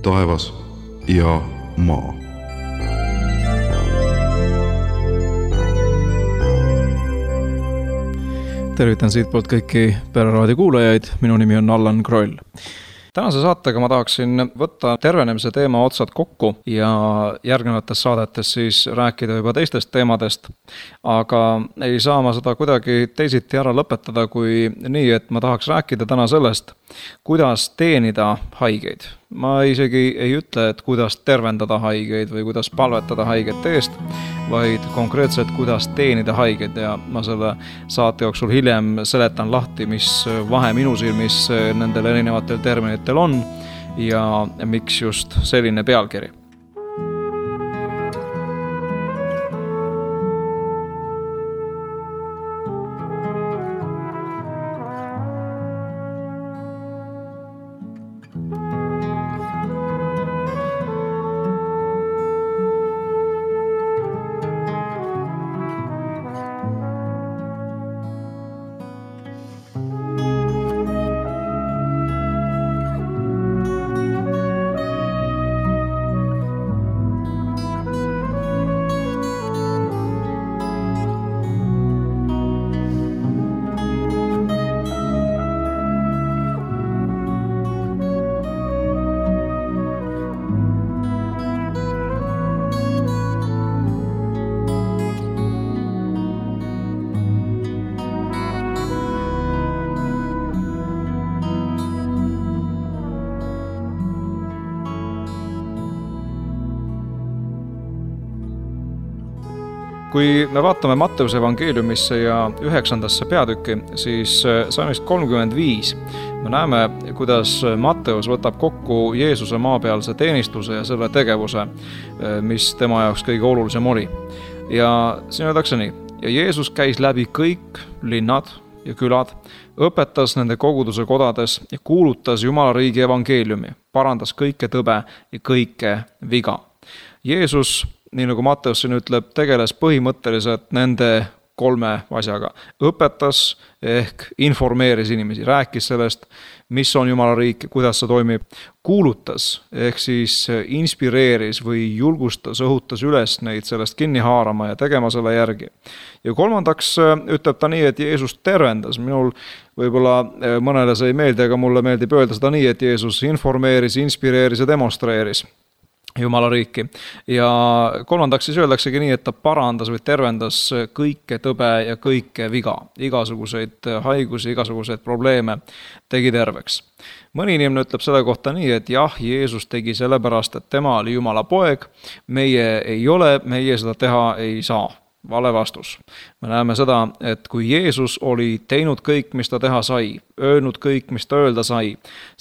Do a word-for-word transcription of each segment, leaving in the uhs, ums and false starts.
taevas ja maa. Tervitan siitpoolt kõiki Pereraadio kuulajaid, minu nimi on Allan Kroll. Tänase saatega ma tahaksin võtta tervenemise teema otsad kokku ja järgnevates saadetes siis rääkida juba teistest teemadest, aga ei saa ma seda kuidagi teisiti ära lõpetada kui nii, et ma tahaks rääkida täna sellest, kuidas teenida haigeid. Ma isegi ei ütle, et kuidas tervendada haigeid või kuidas palvetada haigete eest, vaid konkreetselt kuidas teenida haigeid ja ma selle saate jooksul hiljem seletan lahti, mis vahe minu silmis nendel erinevatel terminitel on ja miks just selline pealkiri. Kui me vaatame Matteuse evangeeliumisse ja üheksandasse peatükki, siis salmist kolmkümmend viis me näeme, kuidas Matteus võtab kokku Jeesuse maapealse teenistuse ja selle tegevuse, mis tema jaoks kõige olulisem oli. Ja siin öeldakse nii, ja Jeesus käis läbi kõik linnad ja külad, õpetas nende koguduse kodades ja kuulutas Jumala riigi evangeeliumi, parandas kõike tõbe ja kõike viga. Jeesus, nii nagu Matteus siin ütleb, tegeles põhimõtteliselt nende kolme asjaga. Õpetas ehk informeeris inimesi, rääkis sellest, mis on Jumala riik, kuidas see toimib. Kuulutas ehk siis inspireeris või julgustas, õhutas üles neid sellest kinni haarama ja tegema selle järgi. Ja kolmandaks ütleb ta nii, et Jeesus tervendas. Minul võib-olla mõnele see ei meeldi, aga mulle meeldib öelda seda nii, et Jeesus informeeris, inspireeris ja demonstreeris Jumala riiki. Ja kolmandaks siis öeldaksegi nii, et ta parandas või tervendas kõike tõbe ja kõike viga. Igasuguseid haigusi, igasuguseid probleeme tegi terveks. Mõni inimene ütleb selle kohta nii, et jah, Jeesus tegi sellepärast, et tema oli Jumala poeg, meie ei ole, meie seda teha ei saa. Vale vastus. Me näeme seda, et kui Jeesus oli teinud kõik, mis ta teha sai, öelnud kõik, mis ta öelda sai,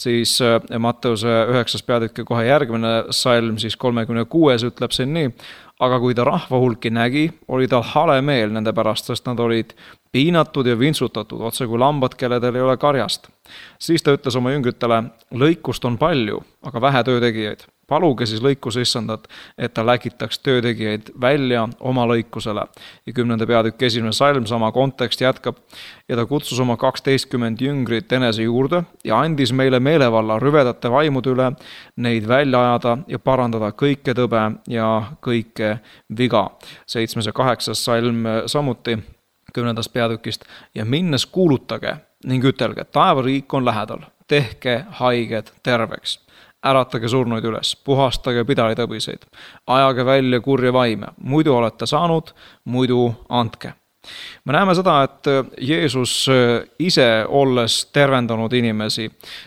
siis Matteuse üheksas peatükki kohe järgmine salm, siis kolmekümne kuues ütleb siin nii, aga kui ta rahvahulki nägi, oli tal hale meel nende pärast, sest nad olid piinatud ja vintsutatud, otse kui lambad, kelledel ei ole karjast. Siis ta ütles oma jüngritele, lõikust on palju, aga vähe töötegijaid. Paluge siis lõikuse issandat, et ta läkitaks töötegijaid välja oma lõikusele. Ja kümnende peatükki esimene salm, sama kontekst jätkab. Ja ta kutsus oma kaksteistkümmend jüngrit enese juurde ja andis meile meelevalla rüvedate vaimude üle neid välja ajada ja parandada kõike tõbe ja kõike viga. Seitsmes ja kaheksas salm samuti kümnendast peatükist. Ja minnes kuulutage ning ütelge, taevariik on lähedal, tehke haiged terveks. Äratage surnuid üles, puhastage pidalitõbiseid, ajage välja kurja vaime, muidu olete saanud, muidu andke. Me näeme seda, et Jeesus ise olles tervendanud inimesi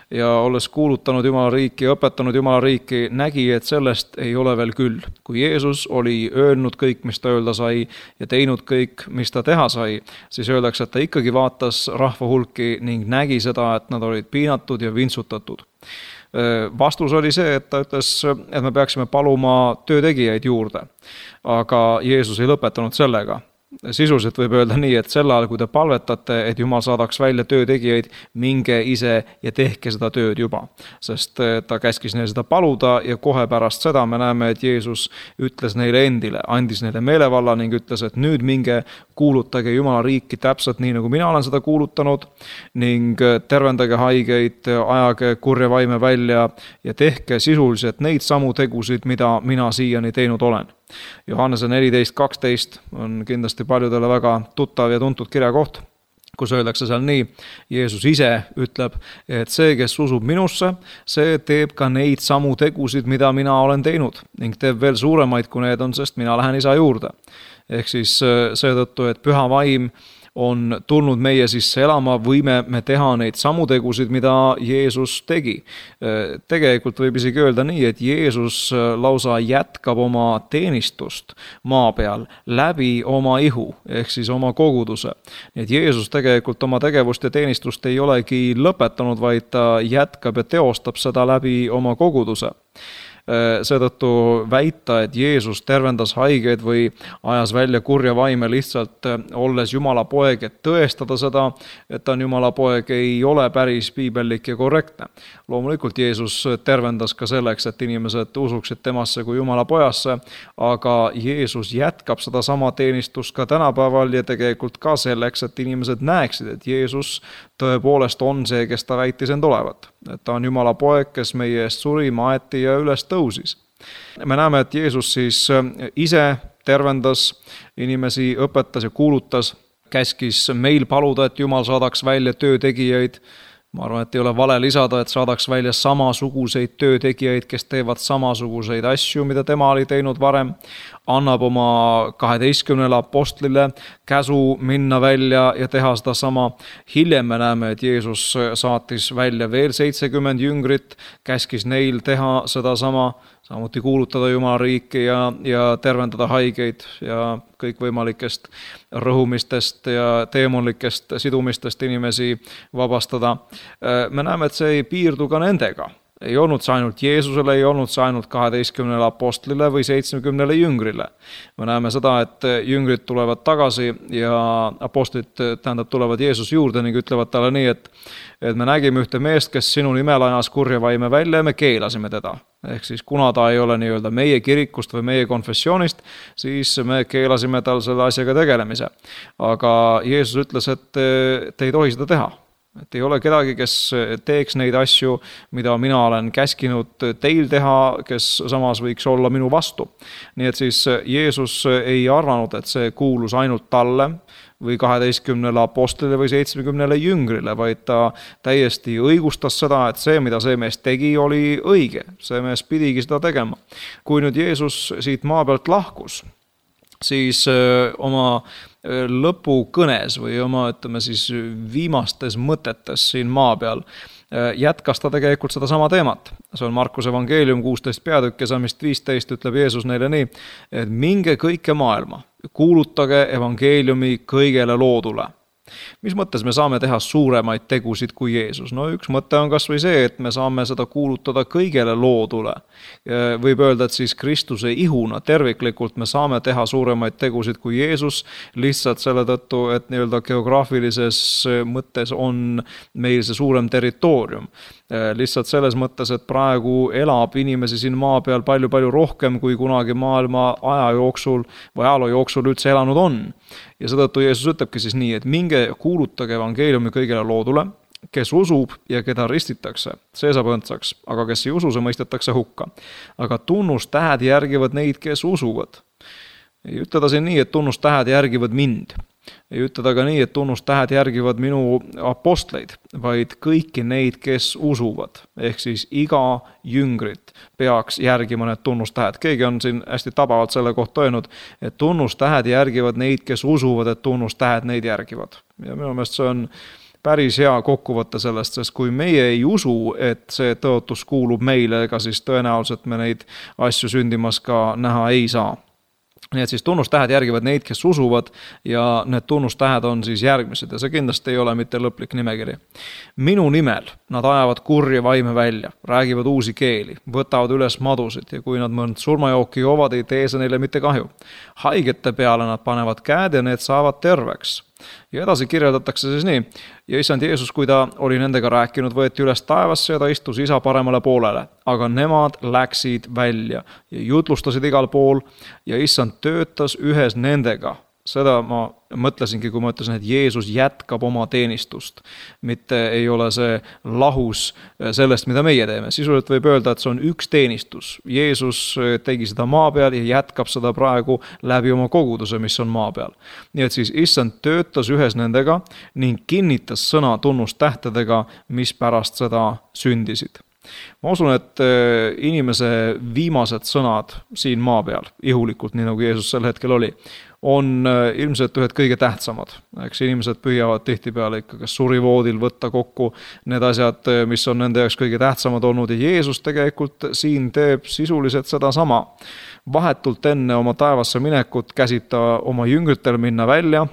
ja olles kuulutanud Jumala riiki ja õpetanud Jumala riiki, nägi, et sellest ei ole veel küll. Kui Jeesus oli öelnud kõik, mis ta öelda sai ja teinud kõik, mis ta teha sai, siis öeldakse, et ta ikkagi vaatas rahva hulki ning nägi seda, et nad olid piinatud ja vintsutatud. Vastus oli see, et ta ütles, et me peaksime paluma töötegijaid juurde, aga Jeesus ei lõpetanud sellega. Sisuliselt võib öelda nii, et sel ajal, kui te palvetate, et Jumal saadaks välja töötegijaid, minge ise ja tehke seda tööd juba. Sest ta käskis neil seda paluda ja kohe pärast seda me näeme, et Jeesus ütles neile endile, andis neile meelevalla ning ütles, et nüüd minge kuulutage Jumala riiki täpselt nii, nagu mina olen seda kuulutanud ning tervendage haigeid, ajage kurja vaime välja ja tehke sisuliselt neid samu tegusid, mida mina siiani teinud olen. Johannese neliteist kaksteist on kindlasti paljudele väga tuttav ja tuntud kirjakoht, kus öeldakse seal nii, Jeesus ise ütleb, et see, kes usub minusse, see teeb ka neid samu tegusid, mida mina olen teinud ning teeb veel suuremaid, kui need on, sest mina lähen isa juurde. Ehk siis seetõttu, et püha vaim on tulnud meie sisse elama, võime me teha neid samu tegusid, mida Jeesus tegi. Tegelikult võib isegi öelda nii, et Jeesus lausa jätkab oma teenistust maa peal läbi oma ihu, ehk siis oma koguduse. Nii et Jeesus tegelikult oma tegevust ja teenistust ei olegi lõpetanud, vaid ta jätkab ja teostab seda läbi oma koguduse. Seetõttu väita, et Jeesus tervendas haigeid või ajas välja kurja vaime lihtsalt olles Jumala poeg, et tõestada seda, et ta on Jumala poeg, ei ole päris piibellik ja korrektne. Loomulikult Jeesus tervendas ka selleks, et inimesed usuksid temasse kui Jumala pojasse, aga Jeesus jätkab seda sama teenistust ka tänapäeval ja tegelikult ka selleks, et inimesed näeksid, et Jeesus tõepoolest on see, kes ta väitis end olevat. Et ta on Jumala poeg, kes meie eest suri, maeti ja üles tõusis. Me näeme, et Jeesus siis ise tervendas inimesi, õpetas ja kuulutas, käskis meil paluda, et Jumal saadaks välja töötegijaid. Ma arvan, et ei ole vale lisada, et saadaks välja samasuguseid töötegijaid, kes teevad samasuguseid asju, mida tema oli teinud varem. Annab oma kaheteistkümnele apostlile käsu minna välja ja teha seda sama. Hiljem me näeme, et Jeesus saatis välja veel seitsekümmend jüngrit, käskis neil teha seda sama, samuti kuulutada Jumala riiki ja, ja tervendada haigeid ja kõikvõimalikest rõhumistest ja teemonlikest sidumistest inimesi vabastada. Me näeme, et see ei piirdu ka nendega. Ei olnud see ainult Jeesusele, ei olnud see ainult kaheteistkümnele apostlile või seitsmekümnele jüngrile. Me näeme seda, et jüngrid tulevad tagasi ja apostlid tähendab tulevad Jeesus juurde ning ütlevad talle nii, et, et me nägime ühte meest, kes sinu nimel ajas kurja vaime välja ja me keelasime teda. Ehk siis kuna ta ei ole nii-öelda meie kirikust või meie konfessioonist, siis me keelasime tal selle asjaga tegelemise. Aga Jeesus ütles, et te ei tohi seda teha. Et ei ole kedagi, kes teeks neid asju, mida mina olen käskinud teil teha, kes samas võiks olla minu vastu. Nii et siis Jeesus ei arvanud, et see kuulus ainult talle või kaheteistkümnele apostlile või seitsmekümnele jüngrile, vaid ta täiesti õigustas seda, et see, mida see mees tegi, oli õige. See mees pidigi seda tegema. Kui nüüd Jeesus siit maa pealt lahkus, siis oma lõpukõnes või oma, ütleme siis, viimastes mõtetes siin maa peal jätkas ta tegelikult seda sama teemat. See on Markuse evangeelium kuusteist peatükk ja salmist viisteist ütleb Jeesus neile nii, et minge kõike maailma, kuulutage evangeeliumi kõigele loodule. Mis mõttes me saame teha suuremaid tegusid kui Jeesus? No üks mõte on kas või see, et me saame seda kuulutada kõigele loodule. Võib öelda, et siis Kristuse ihuna terviklikult me saame teha suuremaid tegusid kui Jeesus, lihtsalt selle tõttu, et nii-öelda geograafilises mõttes on meil see suurem territoorium. Lihtsalt selles mõttes, et praegu elab inimesi siin maa peal palju-palju rohkem kui kunagi maailma aja jooksul või ajaloo jooksul üldse elanud on. Ja seetõttu Jeesus ütlebki siis nii, et minge kuulutage evangeeliumi kõigele loodule, kes usub ja keda ristitakse, see saab õndsaks, aga kes ei usu, see mõistetakse hukka. Aga tunnustähed järgivad neid, kes usuvad. Ei ütleda siin nii, et tunnustähed järgivad mind. Ei ütleda ka nii, et tunnustähed järgivad minu apostleid, vaid kõiki neid, kes usuvad. Ehk siis iga jüngrit peaks järgima need tunnustähed. Keegi on siin hästi tabavalt selle kohta öelnud, et tunnustähed järgivad neid, kes usuvad, et tunnustähed neid järgivad. Ja minu meelest see on päris hea kokkuvõte sellest, sest kui meie ei usu, et see tõotus kuulub meile, ega siis tõenäoliselt me neid asju sündimas ka näha ei saa. nii et siis tunnustähed järgivad neid, kes usuvad ja need tunnustähed on siis järgmised ja see kindlasti ei ole mitte lõplik nimekiri. Minu nimel nad ajavad kurja vaime välja, räägivad uusi keeli, võtavad üles madusid ja kui nad mõnd surmajooki joovad, ei tee see neile mitte kahju. Haigete peale nad panevad käed ja need saavad terveks. Ja edasi kirjeldatakse siis nii. Ja issand Jeesus, kui ta oli nendega rääkinud, võeti üles taevasse ja ta istus isa paremale poolele. Aga nemad läksid välja ja jutlustasid igal pool ja issand töötas ühes nendega. Seda ma mõtlesingi, kui ma ütlesin, et Jeesus jätkab oma teenistust. Mitte ei ole see lahus sellest, mida meie teeme. Sisuliselt võib öelda, et see on üks teenistus. Jeesus tegi seda maa peal ja jätkab seda praegu läbi oma koguduse, mis on maa peal. Nii et siis issand töötas ühes nendega ning kinnitas sõna tunnustähtedega, mis pärast seda sündisid. Ma usun, et inimese viimased sõnad siin maa peal, ihulikult, nii nagu Jeesus sel hetkel oli, on ilmselt ühed kõige tähtsamad. Eks inimesed püüavad tihtipeale ikka kas surivoodil võtta kokku need asjad, mis on nende jaoks kõige tähtsamad olnud ja Jeesus tegelikult siin teeb sisuliselt seda sama. Vahetult enne oma taevasse minekut käsib ta oma jüngritel minna välja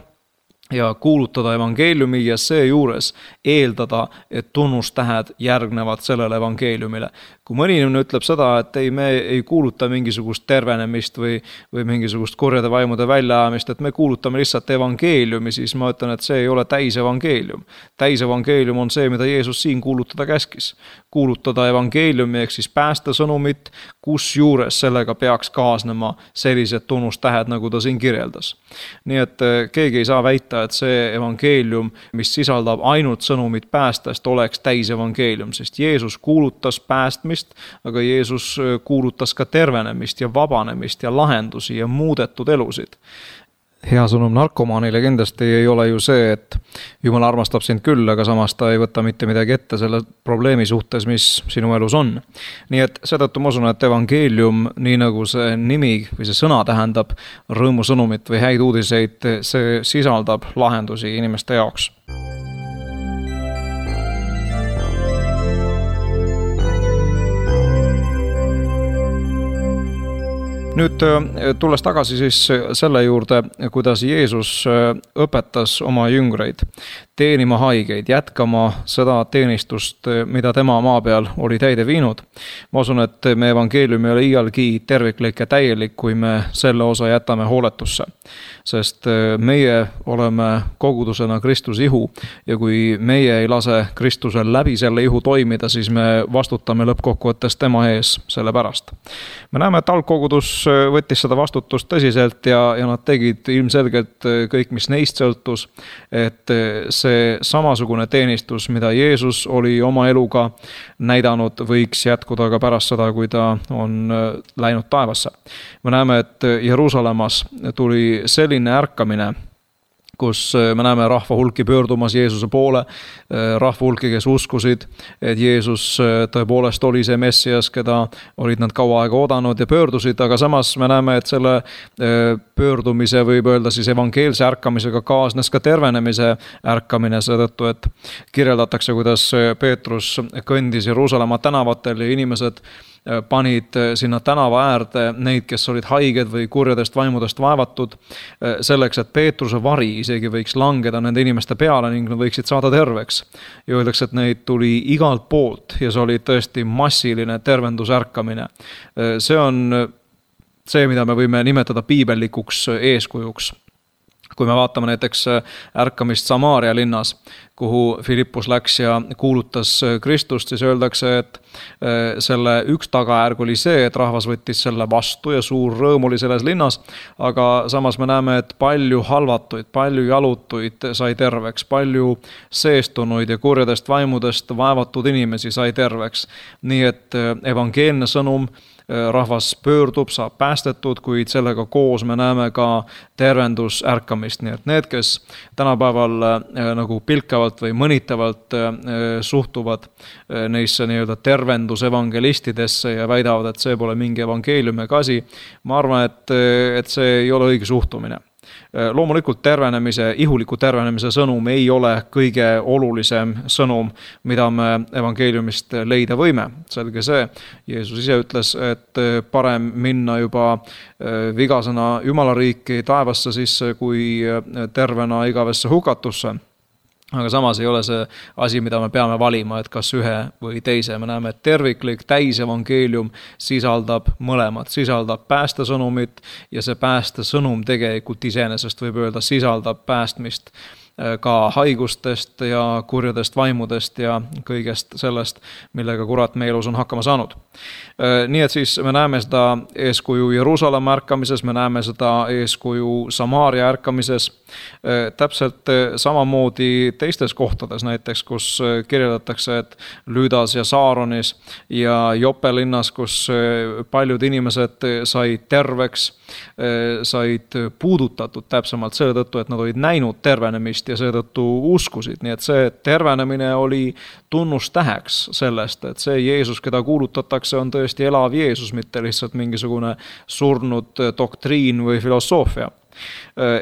ja kuulutada evangeeliumi ja seejuures eeldada, et tunnustähed järgnevad sellele evangeeliumile. Kui mõni inimene ütleb seda, et ei, me ei kuuluta mingisugust tervenemist või, või mingisugust kurjade vaimude väljaajamist, et me kuulutame lihtsalt evangeeliumi, siis ma ütlen, et see ei ole täis evangeelium. Täis evangeelium on see, mida Jeesus siin kuulutada käskis. Kuulutada evangeeliumi ehk siis pääste sõnumit, kus juures sellega peaks kaasnema sellised tunnustähed, nagu ta siin kirjeldas. Nii et keegi ei saa väita, et see evangeelium, mis sisaldab ainult sõnumit päästest, oleks täis evangeelium, sest Jeesus kuulutas päästmist, aga Jeesus kuulutas ka tervenemist ja vabanemist ja lahendusi ja muudetud elusid. Hea sõnum narkomaanile kindlasti ei ole ju see, et Jumal armastab sind küll, aga samas ta ei võta mitte midagi ette selle probleemi suhtes, mis sinu elus on. Nii et seetõttu ma usun, et evangeelium, nii nagu see nimi või see sõna tähendab rõõmusõnumit või häid uudiseid, see sisaldab lahendusi inimeste jaoks. Nüüd tulles tagasi siis selle juurde, kuidas Jeesus õpetas oma jüngreid teenima haigeid, jätkama seda teenistust, mida tema maa peal oli täide viinud. Ma usun, et me evangeelium ei ole iialgi terviklik ja täielik, kui me selle osa jätame hooletusse. Sest meie oleme kogudusena Kristuse ihu ja kui meie ei lase Kristusel läbi selle ihu toimida, siis me vastutame lõppkokkuvõttes tema ees selle pärast. Me näeme, et algkogudus võttis seda vastutust tõsiselt ja, ja nad tegid ilmselgelt kõik, mis neist sõltus, et see samasugune teenistus, mida Jeesus oli oma eluga näidanud, võiks jätkuda ka pärast seda, kui ta on läinud taevasse. Me näeme, et Jeruusalemmas tuli selline ärkamine, kus me näeme rahva hulki pöördumas Jeesuse poole, rahva hulki, kes uskusid, et Jeesus tõepoolest oli see Messias, keda olid nad kaua aega oodanud ja pöördusid, aga samas me näeme, et selle pöördumise võib öelda siis evangeelse ärkamisega kaasnes ka tervenemise ärkamine, seetõttu, et kirjeldatakse, kuidas Peetrus kõndis Jeruusalemma tänavatel ja inimesed panid sinna tänava äärde neid, kes olid haiged või kurjadest vaimudest vaevatud, selleks, et Peetruse vari isegi võiks langeda nende inimeste peale ning nad võiksid saada terveks. Ja öeldakse, et neid tuli igalt poolt ja see oli tõesti massiline tervendusärkamine. See on see, mida me võime nimetada piibellikuks eeskujuks. Kui me vaatame näiteks ärkamist Samaaria linnas, kuhu Filippus läks ja kuulutas Kristust, siis öeldakse, et selle üks tagajärg oli see, et rahvas võttis selle vastu ja suur rõõm oli selles linnas, aga samas me näeme, et palju halvatuid, palju jalutuid sai terveks, palju seestunuid ja kurjadest vaimudest vaevatud inimesi sai terveks. Nii et evangeelne sõnum, rahvas pöördub, saab päästetud, kuid sellega koos me näeme ka tervendus ärkamist. Nii et need, kes tänapäeval nagu pilkavalt või mõnitavalt suhtuvad neisse nii-öelda tervendus evangelistidesse ja väidavad, et see pole mingi evangeeliumi kasi, ma arvan, et, et see ei ole õige suhtumine. Loomulikult tervenemise, ihuliku tervenemise sõnum ei ole kõige olulisem sõnum, mida me evangeeliumist leida võime. Selge see, Jeesus ise ütles, et parem minna juba vigasena Jumala riiki taevasse sisse, kui tervena igavesse hukatusse. Aga samas ei ole see asi, mida me peame valima, et kas ühe või teise. Me näeme, et terviklik täisevangeelium sisaldab mõlemad, sisaldab päästesõnumit ja see päästesõnum tegelikult iseenesest võib öelda sisaldab päästmist ka haigustest ja kurjadest vaimudest ja kõigest sellest, millega kurat meie elus on hakkama saanud. Nii et siis me näeme seda eeskuju Jeruusalemma ärkamises, me näeme seda eeskuju Samaaria ärkamises, täpselt samamoodi teistes kohtades, näiteks kus kirjeldatakse, et Lüüdas ja Saaronis ja Jope linnas, kus paljud inimesed said terveks, said puudutatud täpsemalt selle tõttu, et nad olid näinud tervenemist ja seetõttu uskusid. Nii et see tervenemine oli tunnustäheks sellest, et see Jeesus, keda kuulutatakse, on tõesti elav Jeesus, mitte lihtsalt mingisugune surnud doktriin või filosoofia.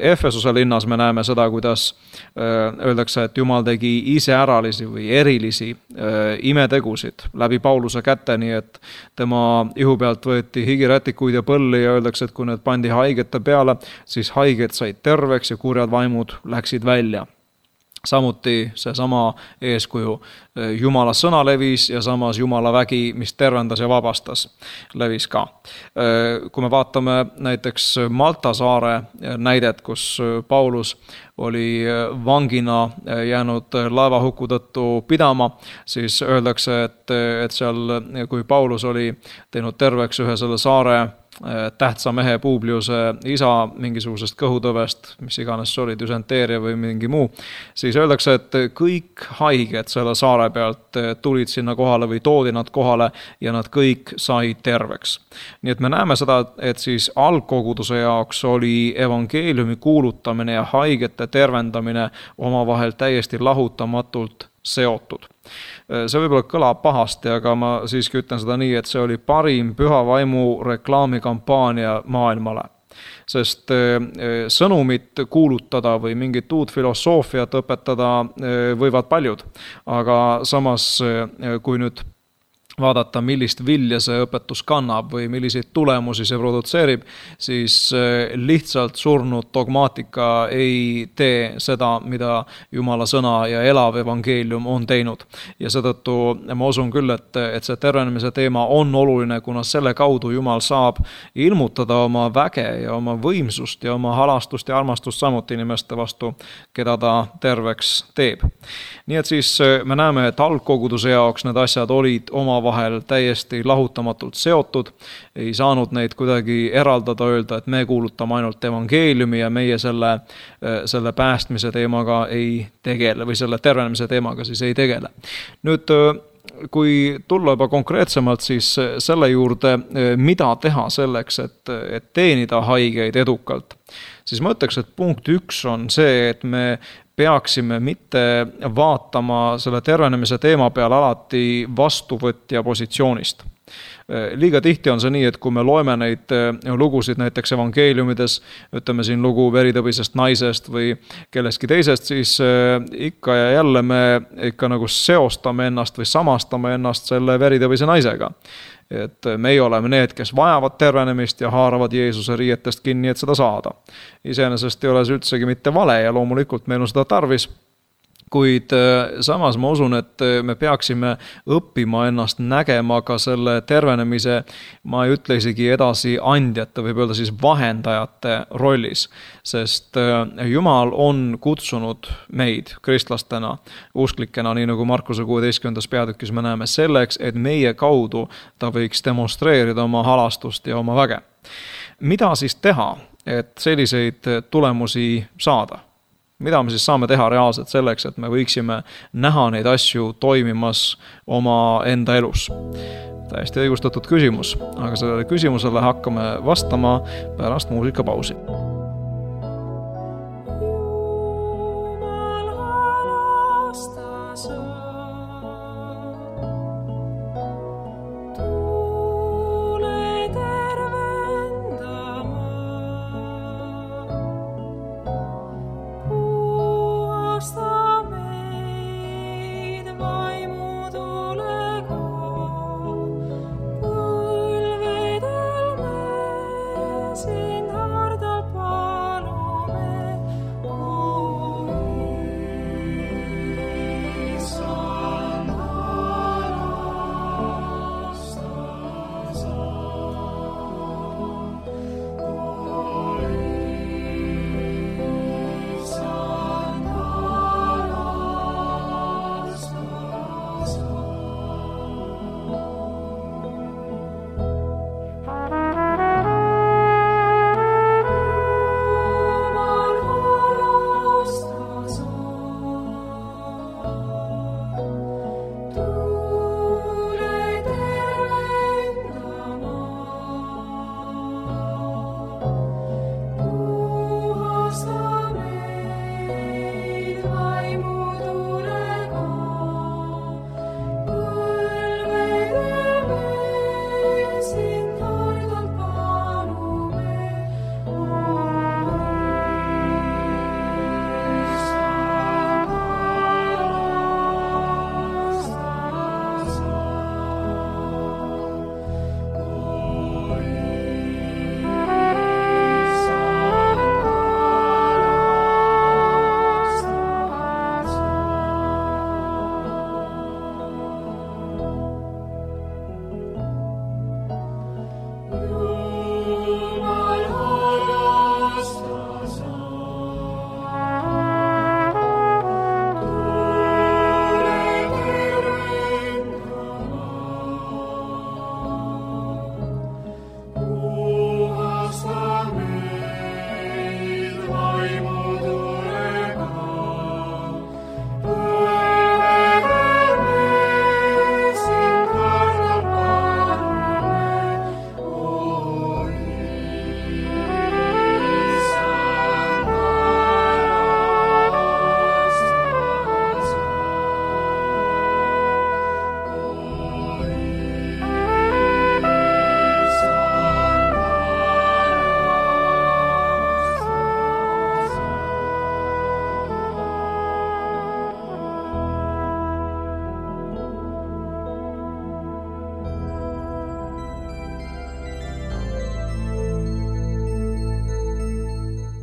Efesuse linnas me näeme seda, kuidas öeldakse, et Jumal tegi iseäralisi või erilisi imetegusid läbi Pauluse kätte, nii et tema ihu pealt võeti higirätikuid ja põlli ja öeldakse, et kui need pandi haigete peale, siis haiged said terveks ja kurjad vaimud läksid välja. Samuti see sama eeskuju Jumala sõna levis ja samas Jumala vägi, mis tervendas ja vabastas, levis ka. Kui me vaatame näiteks Malta saare näidet, kus Paulus oli vangina jäänud laevahuku tõttu pidama, siis öeldakse, et, et seal, kui Paulus oli teinud terveks ühe selle saare tähtsa mehe Publiuse isa mingisugusest kõhutõvest, mis iganes see oli, düsenteeria või mingi muu, siis öeldakse, et kõik haiged selle saare pealt tulid sinna kohale või toodi nad kohale ja nad kõik said terveks. Nii et me näeme seda, et siis algkoguduse jaoks oli evangeeliumi kuulutamine ja haigete tervendamine omavahel täiesti lahutamatult seotud. See võib-olla kõlab pahasti, aga ma siiski ütlen seda nii, et see oli parim püha vaimu reklaamikampaania maailmale. Sest sõnumit kuulutada või mingit uut filosoofiat õpetada võivad paljud, aga samas kui nüüd vaadata, millist vilja see õpetus kannab või milliseid tulemusi see produtseerib, siis lihtsalt surnud dogmaatika ei tee seda, mida Jumala sõna ja elav evangeelium on teinud. Ja seetõttu ma usun küll, et, et see tervenemise teema on oluline, kuna selle kaudu Jumal saab ilmutada oma väge ja oma võimsust ja oma halastust ja armastust samuti inimeste vastu, keda ta terveks teeb. Nii et siis me näeme, et algkoguduse jaoks need asjad olid oma vahel täiesti lahutamatult seotud, ei saanud neid kuidagi eraldada, öelda, et me kuulutame ainult evangeeliumi ja meie selle, selle päästmise teemaga ei tegele või selle tervenemise teemaga siis ei tegele. Nüüd, kui tulla juba konkreetsemalt siis selle juurde, mida teha selleks, et, et teenida haigeid edukalt, siis ma ütleks, et punkt üks on see, et me peaksime mitte vaatama selle tervenemise teema peal alati vastuvõtja positsioonist. Liiga tihti on see nii, et kui me loeme neid lugusid näiteks evangeeliumides, ütleme siin lugu veritõbisest naisest või kellestki teisest, siis ikka ja jälle me ikka nagu seostame ennast või samastame ennast selle veritõbise naisega. Et meie oleme need, kes vajavad tervenemist ja haaravad Jeesuse riietest kinni, et seda saada. Iseenesest ei ole see üldsegi mitte vale ja loomulikult meil on seda tarvis, kuid samas ma usun, et me peaksime õppima ennast nägema ka selle tervenemise, ma ei ütle isegi edasi andjate, võib öelda siis vahendajate rollis, sest Jumal on kutsunud meid kristlastena, usklikena, nii nagu Markuse kuueteistkümnendas peatükis me näeme, selleks, et meie kaudu ta võiks demonstreerida oma halastust ja oma väge. Mida siis teha, et selliseid tulemusi saada? Mida me siis saame teha reaalselt selleks, et me võiksime näha neid asju toimimas oma enda elus? Täiesti õigustatud küsimus, aga sellele küsimusele hakkame vastama pärast muusikapausi.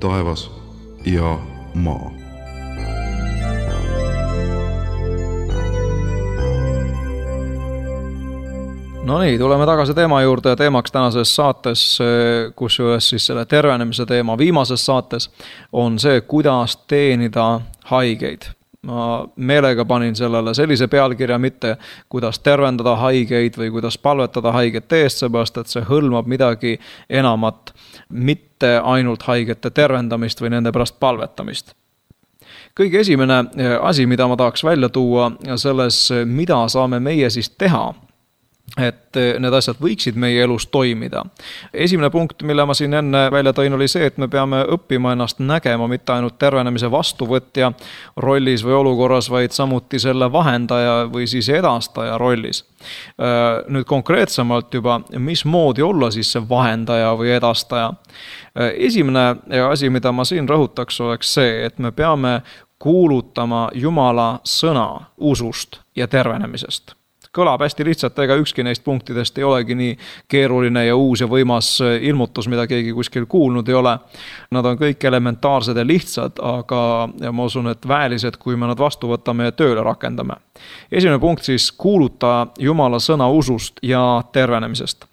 taevas ja maa. No nii, tuleme tagasi teema juurde ja teemaks tänases saates, kus juures siis selle tervenemise teema viimases saates on see, kuidas teenida haigeid. Ma meelega panin sellele sellise pealkirja mitte, kuidas tervendada haigeid või kuidas palvetada haigete eest, seepärast et see hõlmab midagi enamat, mitte ainult haigete tervendamist või nende pärast palvetamist. Kõige esimene asi, mida ma tahaks välja tuua selles, mida saame meie siis teha, et need asjad võiksid meie elus toimida. Esimene punkt, mille ma siin enne välja tõin, oli see, et me peame õppima ennast nägema mitte ainult tervenemise vastuvõtja rollis või olukorras, vaid samuti selle vahendaja või siis edastaja rollis. Nüüd konkreetsemalt juba, mismoodi olla siis see vahendaja või edastaja. Esimene asi, mida ma siin rõhutaks, oleks see, et me peame kuulutama Jumala sõna usust ja tervenemisest. Kõlab hästi lihtsalt, ega ükski neist punktidest ei olegi nii keeruline ja uus ja võimas ilmutus, mida keegi kuskil kuulnud ei ole. Nad on kõik elementaarsed ja lihtsad, aga ja ma usun, et väelised, kui me nad vastu võtame ja tööle rakendame. Esimene punkt siis kuuluta Jumala sõna usust ja tervenemisest.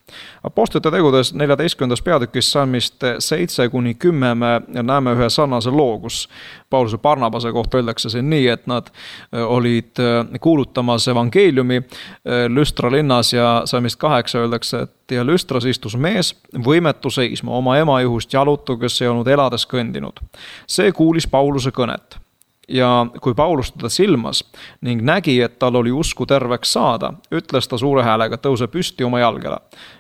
Apostlite tegudes neljateistkümnendas peatükis salmist seitse kuni kümme me näeme ühe sarnase loo, kus Pauluse Barnabase kohta öeldakse see nii, et nad olid kuulutamas evangeeliumi Lüstra linnas ja salmist kaheksa öeldakse, et ja Lüstras istus mees võimetu seisma oma ema juhust jalutu, kes ei olnud elades kõndinud. See kuulis Pauluse kõnet. Ja kui Paulus teda silmas ning nägi, et tal oli usku terveks saada, ütles ta suure häälega, tõuse püsti oma jalgele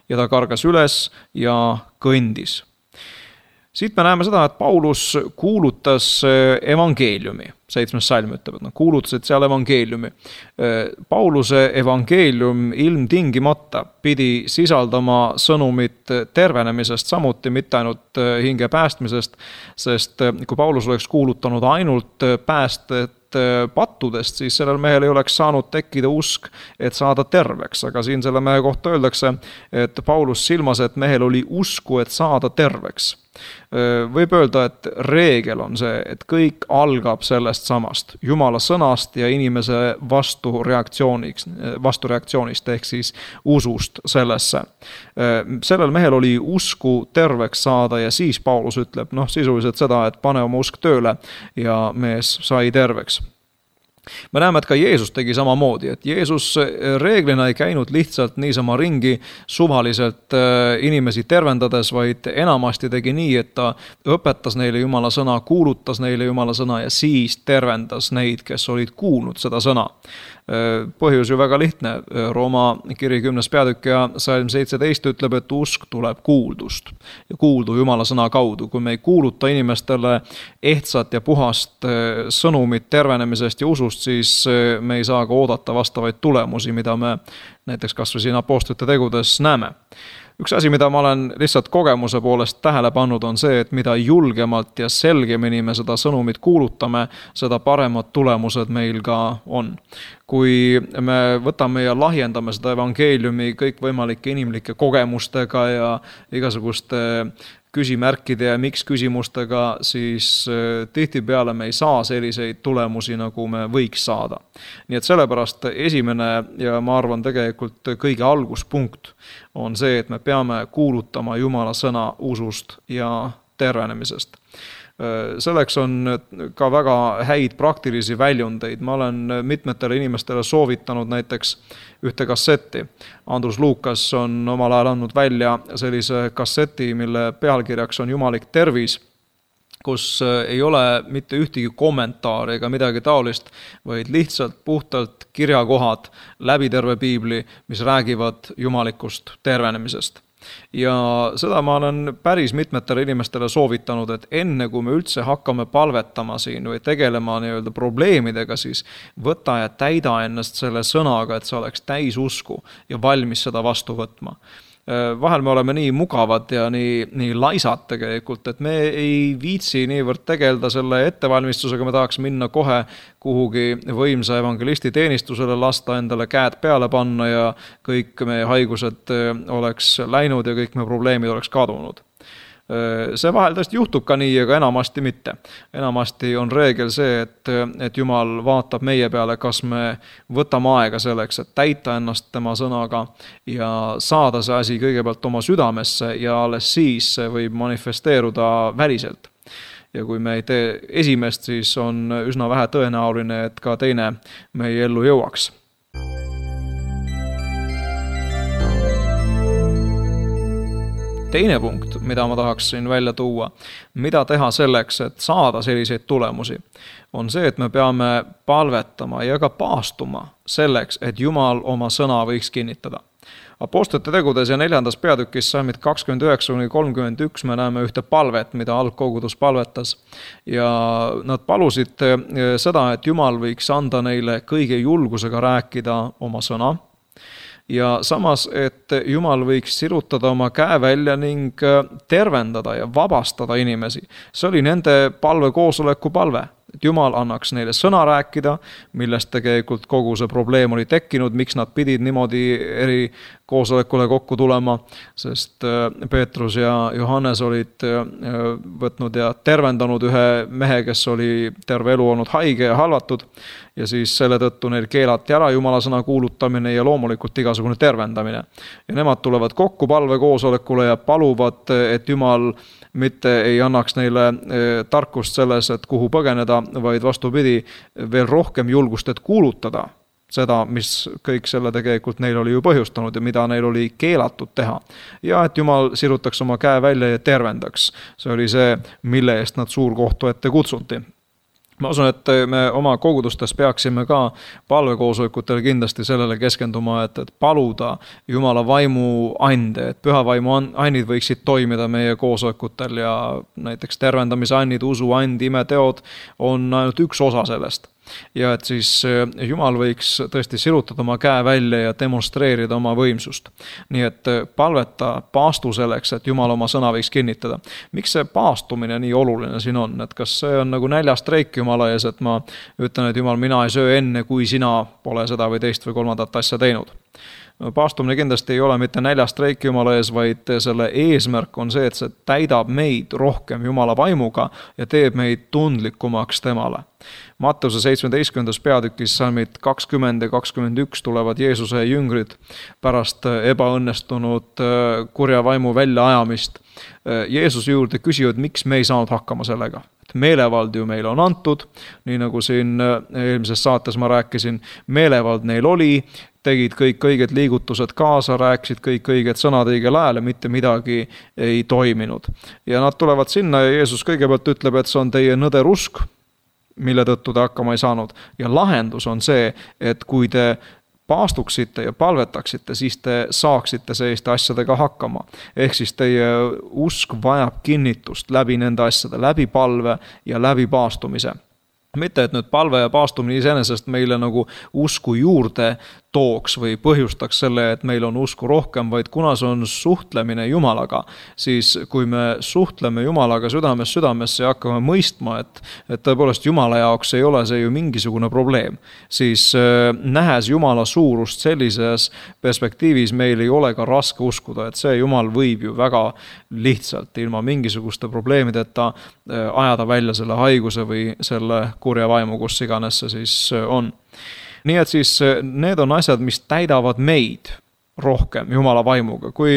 ja ta kargas üles ja kõndis. Siit me näeme seda, et Paulus kuulutas evangeeliumi. Seitsmes salm ütleb, et nad kuulutasid seal evangeeliumi. Pauluse evangeelium ilmtingimata pidi sisaldama sõnumit tervenemisest, samuti mitte ainult hinge päästmisest, sest kui Paulus oleks kuulutanud ainult päästet pattudest, siis sellel mehel ei oleks saanud tekkida usk, et saada terveks. Aga siin selle mehe kohta öeldakse, et Paulus silmas, et mehel oli usku, et saada terveks. Võib öelda, et reegel on see, et kõik algab sellest samast, Jumala sõnast ja inimese vastureaktsiooniks, vastureaktsioonist ehk siis usust sellesse. Sellel mehel oli usku terveks saada ja siis Paulus ütleb, noh sisuliselt seda, et pane oma usk tööle ja mees sai terveks. Me näeme, et ka Jeesus tegi samamoodi, et Jeesus reeglina ei käinud lihtsalt niisama ringi suvaliselt inimesi tervendades, vaid enamasti tegi nii, et ta õpetas neile Jumala sõna, kuulutas neile Jumala sõna ja siis tervendas neid, kes olid kuulnud seda sõna. Põhjus ju väga lihtne. Rooma kiri kümnes peatükk ja salm seitseteist ütleb, et usk tuleb kuuldust ja kuuldu Jumala sõna kaudu. Kui me ei kuuluta inimestele ehtsat ja puhast sõnumit tervenemisest ja usust, siis me ei saa ka oodata vastavaid tulemusi, mida me näiteks kas või siin apostlite tegudes näeme. Üks asi, mida ma olen lihtsalt kogemuse poolest tähele pannud, on see, et mida julgemalt ja selgemini me seda sõnumit kuulutame, seda paremad tulemused meil ka on. Kui me võtame ja lahjendame seda evangeeliumi kõikvõimalike inimlike kogemustega ja igasuguste küsimärkide ja miks küsimustega, siis tihtipeale me ei saa selliseid tulemusi, nagu me võiks saada. Nii et sellepärast esimene ja ma arvan tegelikult kõige alguspunkt on see, et me peame kuulutama Jumala sõna usust ja tervenemisest. Selleks on ka väga häid praktilisi väljundeid. Ma olen mitmetele inimestele soovitanud näiteks ühte kassetti. Andrus Lukas on omal ajal andnud välja sellise kasseti, mille pealkirjaks on Jumalik tervis, kus ei ole mitte ühtegi kommentaari ega midagi taolist, vaid lihtsalt puhtalt kirjakohad läbi terve piibli, mis räägivad jumalikust tervenemisest. Ja seda ma olen päris mitmetele inimestele soovitanud, et enne kui me üldse hakkame palvetama siin või tegelema nii-öelda probleemidega, siis võta ja täida ennast selle sõnaga, et sa oleks täis usku ja valmis seda vastu võtma. Vahel me oleme nii mugavad ja nii, nii laisad tegelikult, et me ei viitsi niivõrd tegelda selle ettevalmistusega, me tahaks minna kohe kuhugi võimsa evangelisti teenistusele, lasta endale käed peale panna ja kõik meie haigused oleks läinud ja kõik meie probleemid oleks kadunud. See vahel tõesti juhtub ka nii, aga enamasti mitte. Enamasti on reegel see, et, et Jumal vaatab meie peale, kas me võtame aega selleks, et täita ennast tema sõnaga ja saada see asi kõigepealt oma südamesse ja alles siis see võib manifesteeruda väliselt. Ja kui me ei tee esimest, siis on üsna vähe tõenäoline, et ka teine meie ellu jõuaks. Teine punkt, mida ma tahaksin välja tuua, mida teha selleks, et saada selliseid tulemusi, on see, et me peame palvetama ja ka paastuma selleks, et Jumal oma sõna võiks kinnitada. Apostlite tegudes ja neljandas peatükis salmid kakskümmend üheksa kuni kolmkümmend üks me näeme ühte palvet, mida algkogudus palvetas. Ja nad palusid seda, et Jumal võiks anda neile kõige julgusega rääkida oma sõna. Ja samas, et Jumal võiks sirutada oma käe välja ning tervendada ja vabastada inimesi. See oli nende palve koosoleku palve. Et Jumal annaks neile sõna rääkida, millest tegelikult kogu see probleem oli tekkinud, miks nad pidid niimoodi eri koosolekule kokku tulema, sest Peetrus ja Johannes olid võtnud ja tervendanud ühe mehe, kes oli terve elu olnud haige ja halvatud, ja siis selle tõttu neil keelati ära Jumala sõna kuulutamine ja loomulikult igasugune tervendamine. Ja nemad tulevad kokku palve koosolekule ja paluvad, et Jumal mitte ei annaks neile tarkust selles, et kuhu põgeneda, vaid vastupidi veel rohkem julgust, et kuulutada seda, mis kõik selle tegelikult neil oli ju põhjustanud ja mida neil oli keelatud teha. Ja et Jumal sirutaks oma käe välja ja tervendaks. See oli see, mille eest nad suurkohtu ette kutsuti. Ma usun, et me oma kogudustes peaksime ka palvekoosolekutel kindlasti sellele keskenduma, et, et paluda Jumala vaimu ande, et püha vaimu annid võiksid toimida meie koosolekutel ja näiteks tervendamise annid, usu and, imeteod on ainult üks osa sellest. Ja et siis Jumal võiks tõesti sirutada oma käe välja ja demonstreerida oma võimsust. Nii et palveta paastu selleks, et Jumal oma sõna võiks kinnitada. Miks see paastumine nii oluline siin on? Et kas see on nagu näljastreik Jumala ees, et ma ütlen, et Jumal, mina ei söö enne, kui sina pole seda või teist või kolmandat asja teinud? Paastumine kindlasti ei ole mitte näljastreik Jumala ees, vaid selle eesmärk on see, et see täidab meid rohkem Jumala vaimuga ja teeb meid tundlikumaks temale. Matteuse seitsmeteistkümnendas peatükis salmid kakskümmend ja kakskümmend üks tulevad Jeesuse jüngrid pärast ebaõnnestunud kurja vaimu väljaajamist. Jeesus juurde küsivad, miks me ei saanud hakkama sellega. Meelevald ju meil on antud, nii nagu siin eelmises saates ma rääkisin, meelevald neil oli, tegid kõik õiged liigutused kaasa, rääkisid kõik õiged sõnad õigel ajal ja mitte midagi ei toiminud. Ja nad tulevad sinna ja Jeesus kõigepealt ütleb, et see on teie nõder usk, mille tõttu te hakkama ei saanud. Ja lahendus on see, et kui te paastuksite ja palvetaksite, siis te saaksite selliste asjadega hakkama. Ehk siis teie usk vajab kinnitust läbi nende asjade, läbi palve ja läbi paastumise. Mitte, et nüüd palve ja paastumine iseenesest meile nagu usku juurde tooks või põhjustaks selle, et meil on usku rohkem, vaid kuna see on suhtlemine Jumalaga, siis kui me suhtleme Jumalaga südames südamesse ja hakkame mõistma, et, et tõepoolest Jumala jaoks ei ole see ju mingisugune probleem, siis nähes Jumala suurust sellises perspektiivis meil ei ole ka raske uskuda, et see Jumal võib ju väga lihtsalt ilma mingisuguste probleemideta ajada välja selle haiguse või selle kurja vaimu, kus iganes see siis on. Nii et siis need on asjad, mis täidavad meid rohkem Jumala vaimuga. Kui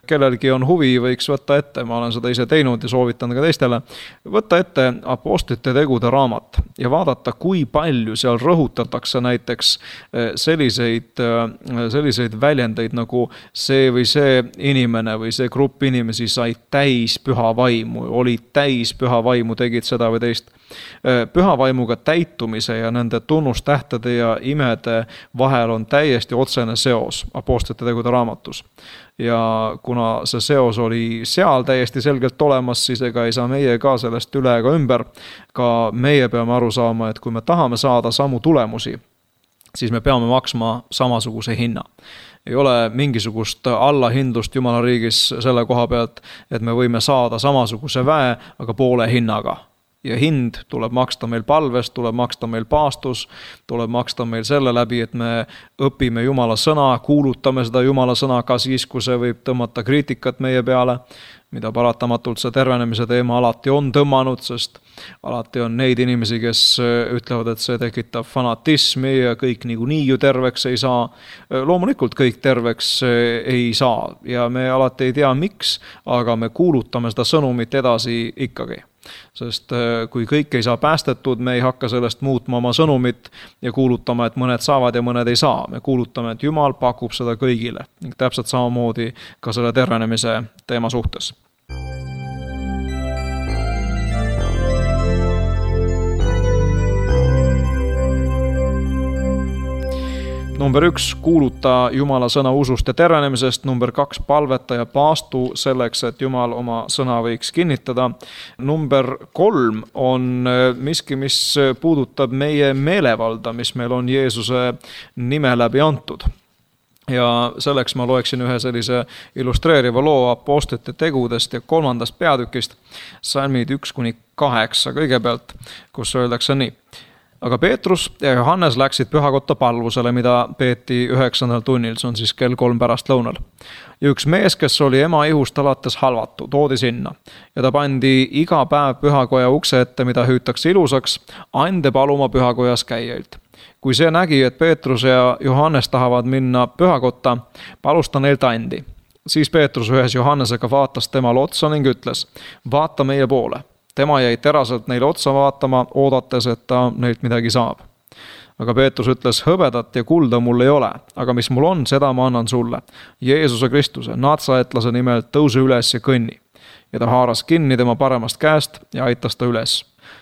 kellelgi on huvi, võiks võtta ette, ma olen seda ise teinud ja soovitan ka teistele, võtta ette Apostlite tegude raamat ja vaadata, kui palju seal rõhutatakse näiteks selliseid, selliseid väljendeid nagu see või see inimene või see grupp inimesi sai täis püha vaimu, olid täis püha vaimu, tegid seda või teist. Püha vaimuga täitumise ja nende tunnustähtede ja imede vahel on täiesti otsene seos Apostlite tegude raamatus. Ja kuna see seos oli seal täiesti selgelt olemas, siis ega ei saa meie ka sellest üle ega ümber. Ka meie peame aru saama, et kui me tahame saada samu tulemusi, siis me peame maksma samasuguse hinna. Ei ole mingisugust allahindlust Jumala riigis selle koha pealt, et me võime saada samasuguse väe, aga poole hinnaga. ja hind tuleb maksta meil palvest, tuleb maksta meil paastus, tuleb maksta meil selle läbi, et me õpime Jumala sõna, kuulutame seda Jumala sõna ka siis, kui see võib tõmmata kriitikat meie peale, mida paratamatult see tervenemise teema alati on tõmmanud, sest alati on neid inimesi, kes ütlevad, et see tekitab fanatismi ja kõik niikuinii ju terveks ei saa. Loomulikult kõik terveks ei saa ja me alati ei tea miks, aga me kuulutame seda sõnumit edasi ikkagi. Sest kui kõik ei saa päästetud, me ei hakka sellest muutma oma sõnumit ja kuulutama, et mõned saavad ja mõned ei saa. Me kuulutame, et Jumal pakub seda kõigile ning täpselt samamoodi ka selle tervenemise teema suhtes. Number üks, kuuluta Jumala sõna usust ja tervenemisest. Number kaks, palveta ja paastu selleks, et Jumal oma sõna võiks kinnitada. Number kolm on miski, mis puudutab meie meelevalda, mis meil on Jeesuse nime läbi antud. Ja selleks ma loeksin ühe sellise illustreeriva loo apostlite tegudest ja kolmandast peatükist, salmid üks kuni kaheksa kõigepealt, kus öeldakse nii. Aga Peetrus ja Johannes läksid pühakotta palvusele, mida peeti üheksandal tunnil, see on siis kell kolm pärast lõunal. Ja üks mees, kes oli ema ihust alates halvatu, toodi sinna ja ta pandi iga päev pühakoja ukse ette, mida hüütakse ilusaks, ande paluma pühakojas käijailt. Kui see nägi, et Peetrus ja Johannes tahavad minna pühakotta, palus ta neilt andi. Siis Peetrus ühes Johannesega vaatas temale otsa ning ütles, vaata meie poole. Tema jäi teraselt neile otsa vaatama, oodates, et ta neilt midagi saab. Aga Peetrus ütles, hõbedat ja kulda mul ei ole, aga mis mul on, seda ma annan sulle. Jeesuse Kristuse, natsaetlase nimel tõuse üles ja kõnni. Ja ta haaras kinni tema paremast käest ja aitas ta üles.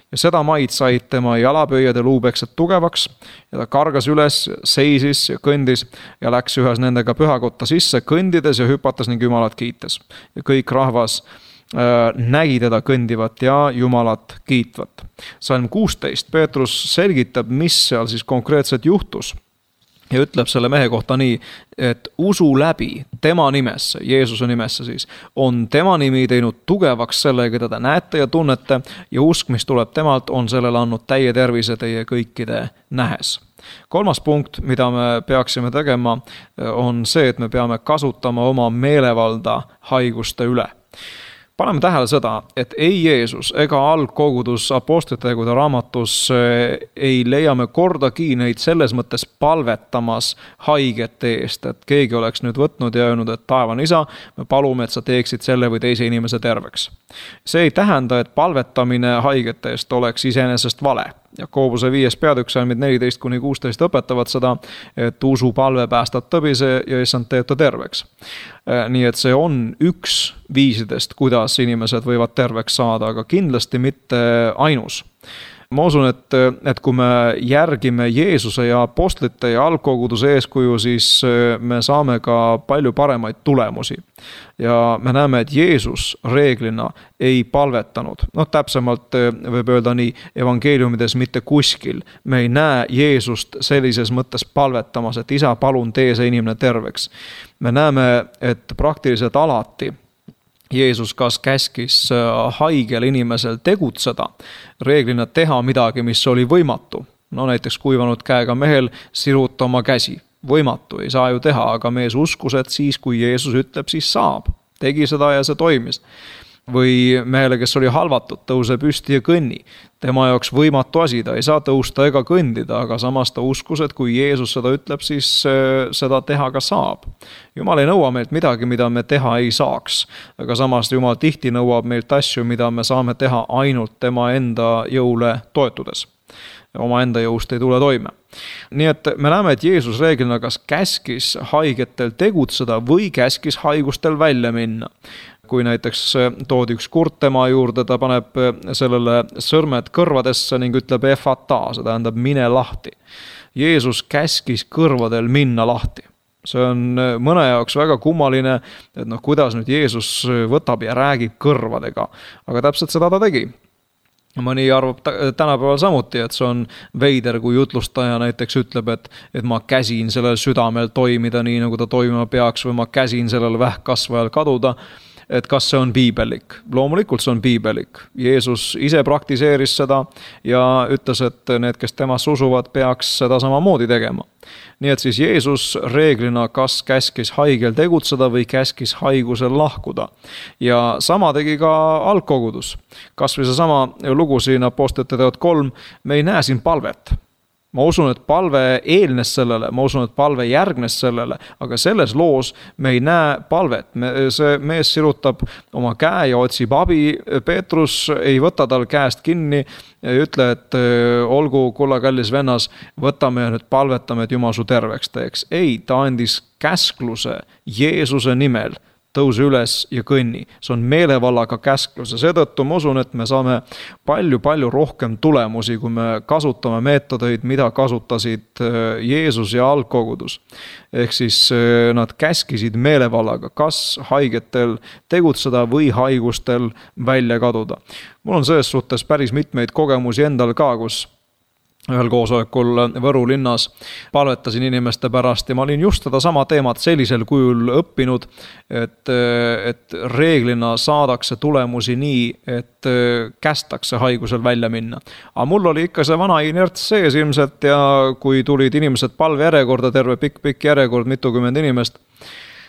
Ja seda maid said tema jalapöiad ja luubeksed tugevaks ja ta kargas üles, seisis ja kõndis ja läks ühes nendega pühakotta sisse, kõndides ja hüpatas ning Jumalat kiites. Ja kõik rahvas nägi teda kõndivat ja Jumalat kiitvat. Salm kuusteist, Peetrus selgitab, mis seal siis konkreetselt juhtus ja ütleb selle mehe kohta nii, et usu läbi tema nimesse, Jeesuse nimesse siis, on tema nimi teinud tugevaks selle, keda te näete ja tunnete ja usk, mis tuleb temalt, on sellele andnud täie tervise teie kõikide nähes. Kolmas punkt, mida me peaksime tegema, on see, et me peame kasutama oma meelevalda haiguste üle. Paneme tähele seda, et ei Jeesus ega algkogudus apostlite tegude raamatus ei leia me kordagi neid selles mõttes palvetamas haigete eest, et keegi oleks nüüd võtnud ja öelnud, et taevane isa, me palume, et sa teeksid selle või teise inimese terveks. See ei tähenda, et palvetamine haigete eest oleks iseenesest vale. Jakobuse viies peatükk salmid neliteist kuni kuusteist õpetavad seda, et usu palve päästab tõbise ja issand teeb ta terveks. Nii et see on üks viisidest, kuidas inimesed võivad terveks saada, aga kindlasti mitte ainus. Ma usun, et, et kui me järgime Jeesuse ja apostlite ja algkoguduse eeskuju, siis me saame ka palju paremaid tulemusi. Ja me näeme, et Jeesus reeglina ei palvetanud. No täpsemalt võib öelda nii, evangeeliumides mitte kuskil. Me ei näe Jeesust sellises mõttes palvetamas, et isa, palun tee see inimene terveks. Me näeme, et praktiliselt alati Jeesus kas käskis haigel inimesel tegutseda, reeglina teha midagi, mis oli võimatu. No näiteks kuivanud käega mehel siruta oma käsi. Võimatu, ei saa ju teha, aga mees uskus, et siis kui Jeesus ütleb, siis saab. Tegi seda ja see toimis. Või mehele, kes oli halvatud, tõuse püsti ja kõnni. Tema jaoks võimatu asi, ta ei saa tõusta ega kõndida, aga samas ta uskus, et kui Jeesus seda ütleb, siis seda teha ka saab. Jumal ei nõua meilt midagi, mida me teha ei saaks, aga samas Jumal tihti nõuab meilt asju, mida me saame teha ainult tema enda jõule toetudes. Oma enda jõust ei tule toime. Nii et me näeme, et Jeesus reeglina kas käskis haigetel tegutseda või käskis haigustel välja minna. Kui näiteks toodi üks kurt tema juurde, ta paneb sellele sõrmed kõrvadesse ning ütleb efata, see tähendab mine lahti. Jeesus käskis kõrvadel minna lahti. See on mõne jaoks väga kummaline, et noh, kuidas nüüd Jeesus võtab ja räägib kõrvadega, aga täpselt seda ta tegi. Mõni arvab tänapäeval samuti, et see on veider, kui jutlustaja näiteks ütleb, et, et ma käsin sellel südamel toimida nii, nagu ta toimima peaks, või ma käsin sellel vähkkasvajal kaduda. et kas see on piibellik. Loomulikult see on piibellik. Jeesus ise praktiseeris seda ja ütles, et need, kes temasse usuvad, peaks seda samamoodi tegema. Nii et siis Jeesus reeglina kas käskis haigel tegutseda või käskis haigusel lahkuda. Ja sama tegi ka algkogudus. Kas või see sama lugu siin Apostlite teod kolm, me ei näe siin palvet. Ma usun, et palve eelnes sellele, ma usun, et palve järgnes sellele, aga selles loos me ei näe palvet. Me, see mees sirutab oma käe ja otsib abi. Peetrus ei võta tal käest kinni ja ütle, et olgu, kulla kallis vennas, võtame ja nüüd palvetame, et Jumal su terveks teeks. Ei, ta andis käskluse Jeesuse nimel. Tõuse üles ja kõnni. See on meelevallaga käsklus ja seetõttu ma usun, et me saame palju-palju rohkem tulemusi, kui me kasutame meetodeid, mida kasutasid Jeesus ja algkogudus. Ehk siis nad käskisid meelevallaga, kas haigetel tegutseda või haigustel välja kaduda. Mul on selles suhtes päris mitmeid kogemusi endal ka, kus ühel koosolekul Võru linnas palvetasin inimeste pärast ja ma olin just seda sama teemat sellisel kujul õppinud, et, et reeglina saadakse tulemusi nii, et kästakse haigusel välja minna. Aga mul oli ikka see vana inerts sees ilmselt ja kui tulid inimesed palve järjekorda, terve pikk-pikk järjekord, mitukümmend inimest,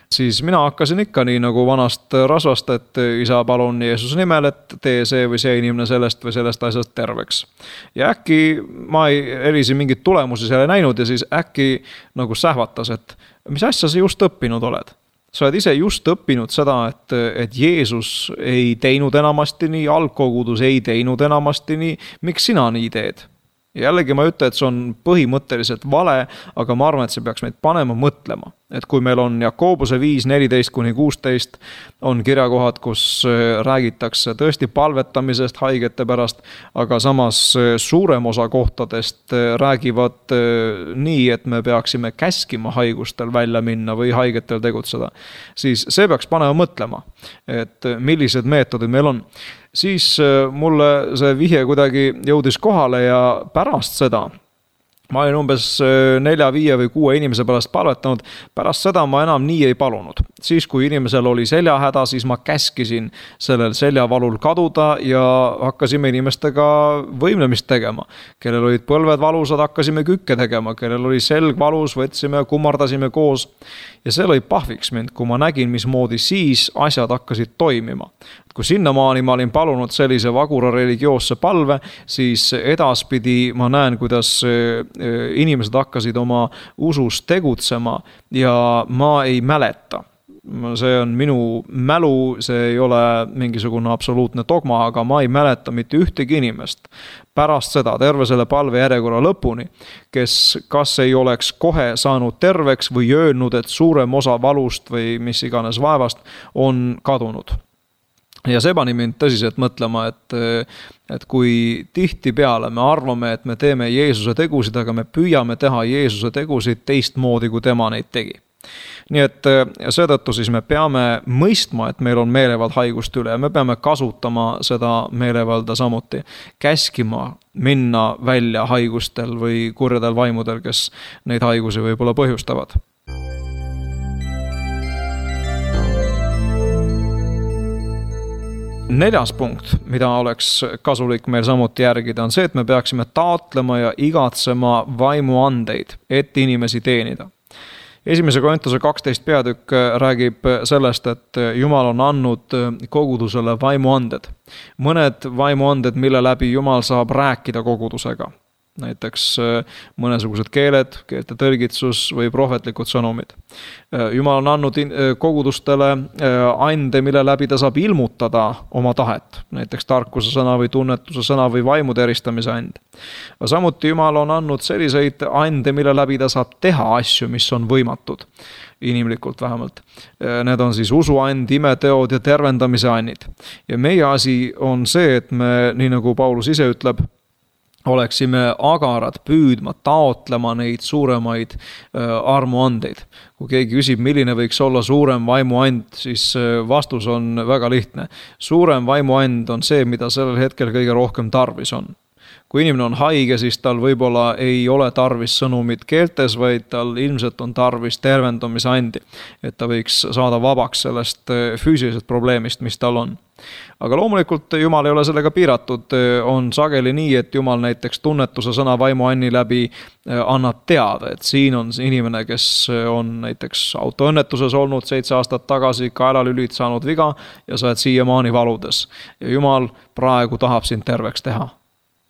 siis mina hakkasin ikka nii nagu vanast rasvast, et isa palun Jeesuse nimel, et tee see või see inimene sellest või sellest asjast terveks. Ja äkki ma ei erisi mingit tulemusi selle näinud ja siis äkki nagu sähvatas, et mis asja sa just õppinud oled? Sa oled ise just õppinud seda, et, et Jeesus ei teinud enamasti nii, algkogudus ei teinud enamasti nii, miks sina nii teed? Jällegi ma ütlen, et see on põhimõtteliselt vale, aga ma arvan, et see peaks meid panema mõtlema. Et kui meil on Jakobuse viis neliteist kuni kuusteist on kirjakohad, kus räägitakse tõesti palvetamisest haigete pärast, aga samas suurem osa kohtadest räägivad nii, et me peaksime käskima haigustel välja minna või haigetel tegutseda, siis see peaks panema mõtlema, et millised meetodid meil on. Siis mulle see vihje kuidagi jõudis kohale ja pärast seda ma olin umbes nelja, viie või kuue inimese pärast palvetanud, pärast seda ma enam nii ei palunud. Siis kui inimesel oli seljahäda, siis ma käskisin sellel seljavalul kaduda ja hakkasime inimestega võimlemist tegema. Kellel olid põlved valusad, hakkasime kükke tegema, kellel oli selg valus, võtsime ja kummardasime koos. Ja see lõi pahviks mind, kui ma nägin, mismoodi siis asjad hakkasid toimima. Kui sinnamaani ma olin palunud sellise vagura religioosse palve, siis edaspidi ma näen, kuidas inimesed hakkasid oma usus tegutsema ja ma ei mäleta. See on minu mälu, see ei ole mingisugune absoluutne dogma, aga ma ei mäleta mitte ühtegi inimest pärast seda, terve selle palve järjekorra lõpuni, kes kas ei oleks kohe saanud terveks või öelnud, et suurem osa valust või mis iganes vaevast on kadunud. Ja see pani mind tõsiselt mõtlema, et, et kui tihti peale me arvame, et me teeme Jeesuse tegusid, aga me püüame teha Jeesuse tegusid teistmoodi, kui tema neid tegi. Nii et seetõttu siis me peame mõistma, et meil on meelevald haigust üle ja me peame kasutama seda meelevalda samuti. Käskima minna välja haigustel või kurjadel vaimudel, kes neid haigusi võib-olla põhjustavad. Neljas punkt, mida oleks kasulik meil samuti järgida, on see, et me peaksime taotlema ja igatsema vaimuandeid, et inimesi teenida. Esimese Korintuse kaksteist peatükk räägib sellest, et Jumal on andnud kogudusele vaimuanded. Mõned vaimuanded, mille läbi Jumal saab rääkida kogudusega. Näiteks mõnesugused keeled, keelte tõlgitsus või prohvetlikud sõnumid. Jumal on andnud kogudustele ande, mille läbi ta saab ilmutada oma tahet. Näiteks tarkuse sõna või tunnetuse sõna või vaimude eristamise and. Samuti Jumal on andnud selliseid ande, mille läbi ta saab teha asju, mis on võimatud. Inimlikult vähemalt. Need on siis usuand, imeteod ja tervendamise annid. Ja meie asi on see, et me, nii nagu Paulus ise ütleb, oleksime agarad püüdma, taotlema neid suuremaid armuandeid. Kui keegi küsib, milline võiks olla suurem vaimuand, siis vastus on väga lihtne. Suurem vaimuand on see, mida sellel hetkel kõige rohkem tarvis on. Kui inimene on haige, siis tal võib-olla ei ole tarvis sõnumit keeltes, vaid tal ilmselt on tarvis tervendamise andi, et ta võiks saada vabaks sellest füüsilisest probleemist, mis tal on. Aga loomulikult Jumal ei ole sellega piiratud, on sageli nii, et Jumal näiteks tunnetuse sõna vaimuanni läbi annab teada, et siin on inimene, kes on näiteks autoõnnetuses olnud seitse aastat tagasi, kaelalülid saanud viga ja sa oled siiamaani valudes. Ja Jumal praegu tahab sind terveks teha.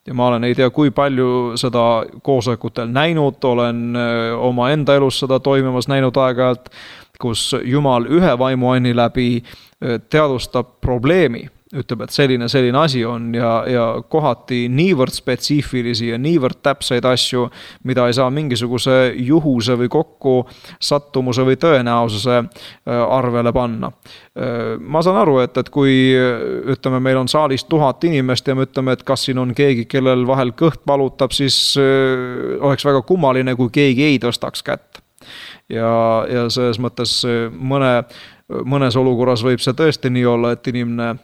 Ja ma olen ei tea, kui palju seda koosolekutel näinud, olen oma enda elus seda toimimas näinud aeg-ajalt, kus Jumal ühe vaimuanni läbi teadvustab probleemi, ütleb, et selline, selline asi on ja, ja kohati niivõrd spetsiifilisi ja niivõrd täpseid asju, mida ei saa mingisuguse juhuse või kokku sattumuse või tõenäosuse arvele panna. Ma saan aru, et, et kui ütleme, meil on saalis tuhat inimest ja me ütleme, et kas siin on keegi, kellel vahel kõht valutab, siis oleks väga kummaline, kui keegi ei tõstaks kätt. Ja, ja selles mõttes mõne, mõnes olukorras võib see tõesti nii olla, et inimene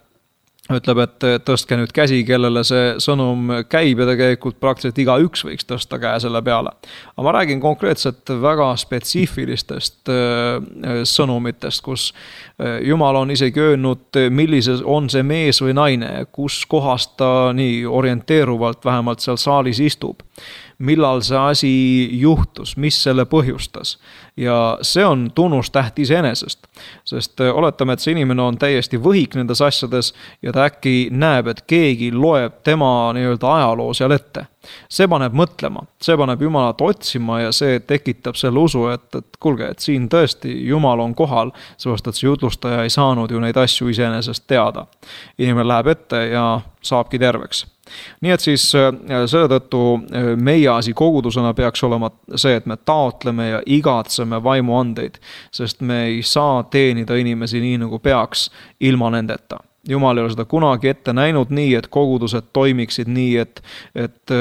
ütleb, et tõstke nüüd käsi, kellele see sõnum käib ja tegelikult praktiliselt iga üks võiks tõsta käe selle peale. Aga ma räägin konkreetselt väga spetsiifilistest sõnumitest, kus Jumal on isegi öelnud, millises on see mees või naine, kus kohast ta nii orienteeruvalt vähemalt seal saalis istub. Millal see asi juhtus, mis selle põhjustas. Ja see on tunnustäht iseenesest, sest oletame, et see inimene on täiesti võhik nendes asjades ja ta äkki näeb, et keegi loeb tema nii-öelda ajaloo seal ette. See paneb mõtlema, see paneb Jumalat otsima ja see tekitab selle usu, et, et kuulge, et siin tõesti Jumal on kohal, sellepärast et see jutlustaja ei saanud ju neid asju iseenesest teada. Inimene läheb ette ja saabki terveks. Nii et siis selle tõttu meie asi kogudusena peaks olema see, et me taotleme ja igatseme vaimuandeid, sest me ei saa teenida inimesi nii nagu peaks ilma nendeta. Jumal ei ole seda kunagi ette näinud nii, et kogudused toimiksid nii, et, et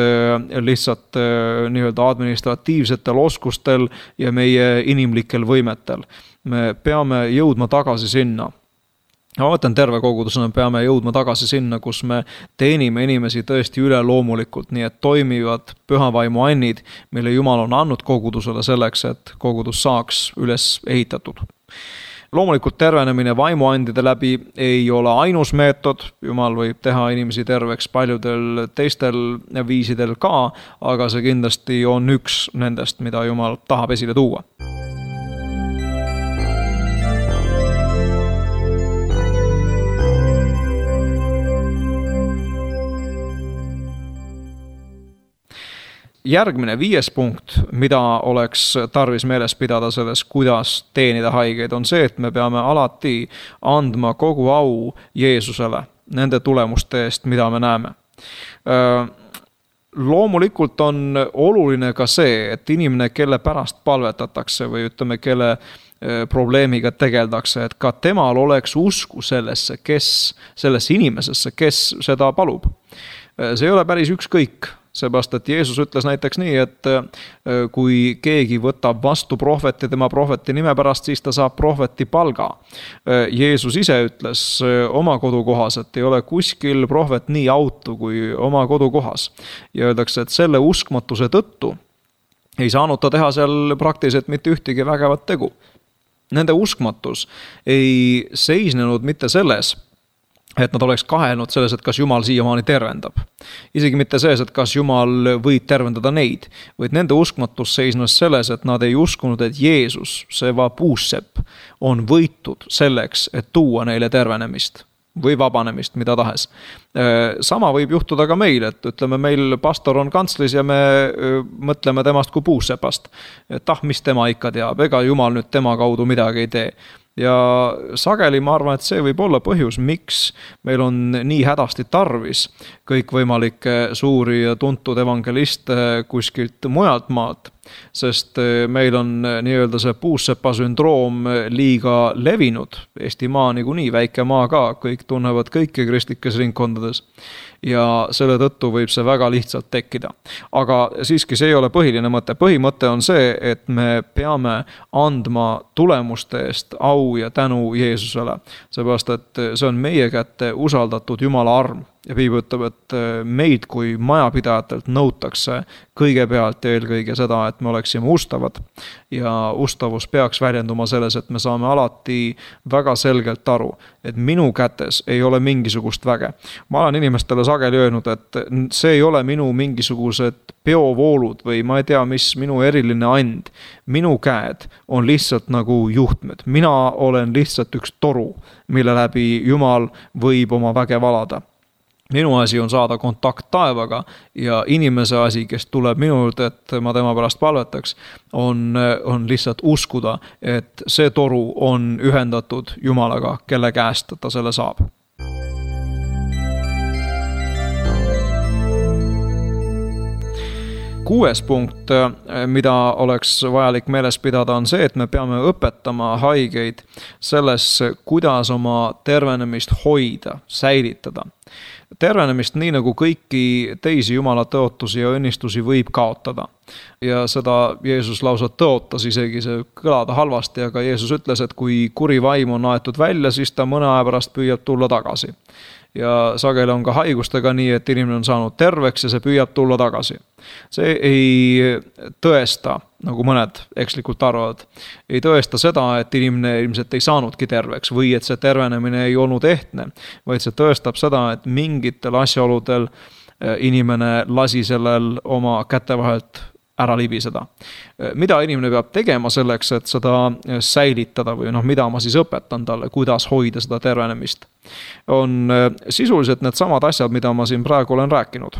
lihtsalt nii-öelda administratiivsetel oskustel ja meie inimlikel võimetel. Me peame jõudma tagasi sinna. Ma mõtlen terve kogudusena, peame jõudma tagasi sinna, kus me teenime inimesi tõesti üle loomulikult, nii et toimivad pühavaimu annid, mille Jumal on andnud kogudusele selleks, et kogudus saaks üles ehitatud. Loomulikult tervenemine vaimuandide läbi ei ole ainus meetod, Jumal võib teha inimesi terveks paljudel teistel viisidel ka, aga see kindlasti on üks nendest, mida Jumal tahab esile tuua. Järgmine viies punkt, mida oleks tarvis meeles pidada selles, kuidas teenida haigeid, on see, et me peame alati andma kogu au Jeesusele nende tulemuste eest, mida me näeme. Loomulikult on oluline ka see, et inimene, kelle pärast palvetatakse või ütleme, kelle probleemiga tegeldakse, et ka temal oleks usku sellesse, kes, sellesse inimesesse, kes seda palub. See ei ole päris ükskõik. Seepärast, et Jeesus ütles näiteks nii, et kui keegi võtab vastu prohveti tema prohveti nime pärast, siis ta saab prohveti palga. Jeesus ise ütles oma kodukohas, et ei ole kuskil prohvet nii autu kui oma kodukohas. Ja öeldakse, et selle uskmatuse tõttu ei saanud ta teha seal praktiliselt mitte ühtegi vägevat tegu. Nende uskmatus ei seisnenud mitte selles, et nad oleks kahelnud selles, et kas Jumal siiamaani tervendab. Isegi mitte selles, et kas Jumal võib tervendada neid, vaid nende uskmatus seisnes selles, et nad ei uskunud, et Jeesus, see vapuussepp, on võitud selleks, et tuua neile tervenemist või vabanemist, mida tahes. Sama võib juhtuda ka meil, et ütleme, meil pastor on kantslis ja me mõtleme temast kui puussepast. Et ah, mis tema ikka teab, ega Jumal nüüd tema kaudu midagi ei tee. Ja sageli ma arvan, et see võib olla põhjus, miks meil on nii hädasti tarvis kõikvõimalikke suuri ja tuntud evangeliste kuskilt mujalt maalt, sest meil on nii-öelda see puussepa sündroom liiga levinud. Eestimaa niikuinii väike maa ka, kõik tunnevad kõiki kristlikes ringkondades ja selle tõttu võib see väga lihtsalt tekkida. Aga siiski see ei ole põhiline mõte. Põhimõte on see, et me peame andma tulemuste eest au ja tänu Jeesusele, seepärast et see on meie kätte usaldatud Jumala arm. ja Piibel ütleb, et meid kui majapidajatelt nõutakse kõigepealt ja eelkõige seda, et me oleksime ustavad ja ustavus peaks väljenduma selles, et me saame alati väga selgelt aru, et minu kätes ei ole mingisugust väge. Ma olen inimestele sageli öelnud, et see ei ole minu mingisugused peovoolud või ma ei tea, mis minu eriline and. Minu käed on lihtsalt nagu juhtmed. Mina olen lihtsalt üks toru, mille läbi Jumal võib oma väge valada. Minu asi on saada kontakt taevaga ja inimese asi, kes tuleb minult, et ma tema pärast palvetaks, on, on lihtsalt uskuda, et see toru on ühendatud Jumalaga, kelle käest ta selle saab. Kuues punkt, mida oleks vajalik meeles pidada, on see, et me peame õpetama haigeid selles, kuidas oma tervenemist hoida, säilitada. Tervenemist nii nagu kõiki teisi Jumala tõotusi ja õnnistusi võib kaotada. Ja seda Jeesus lausa tõotas, isegi see kõlada halvasti, aga Jeesus ütles, et kui kuri vaim on aetud välja, siis ta mõne aja pärast püüab tulla tagasi. Ja sageli on ka haigustega nii, et inimene on saanud terveks ja see püüab tulla tagasi. See ei tõesta, nagu mõned ekslikult arvavad, ei tõesta seda, et inimene ilmselt ei saanudki terveks või et see tervenemine ei olnud ehtne, vaid see tõestab seda, et mingitel asjaoludel inimene lasi sellel oma käte vahelt ära libiseda. Mida inimene peab tegema selleks, et seda säilitada või noh, mida ma siis õpetan talle, kuidas hoida seda tervenemist, on sisuliselt need samad asjad, mida ma siin praegu olen rääkinud.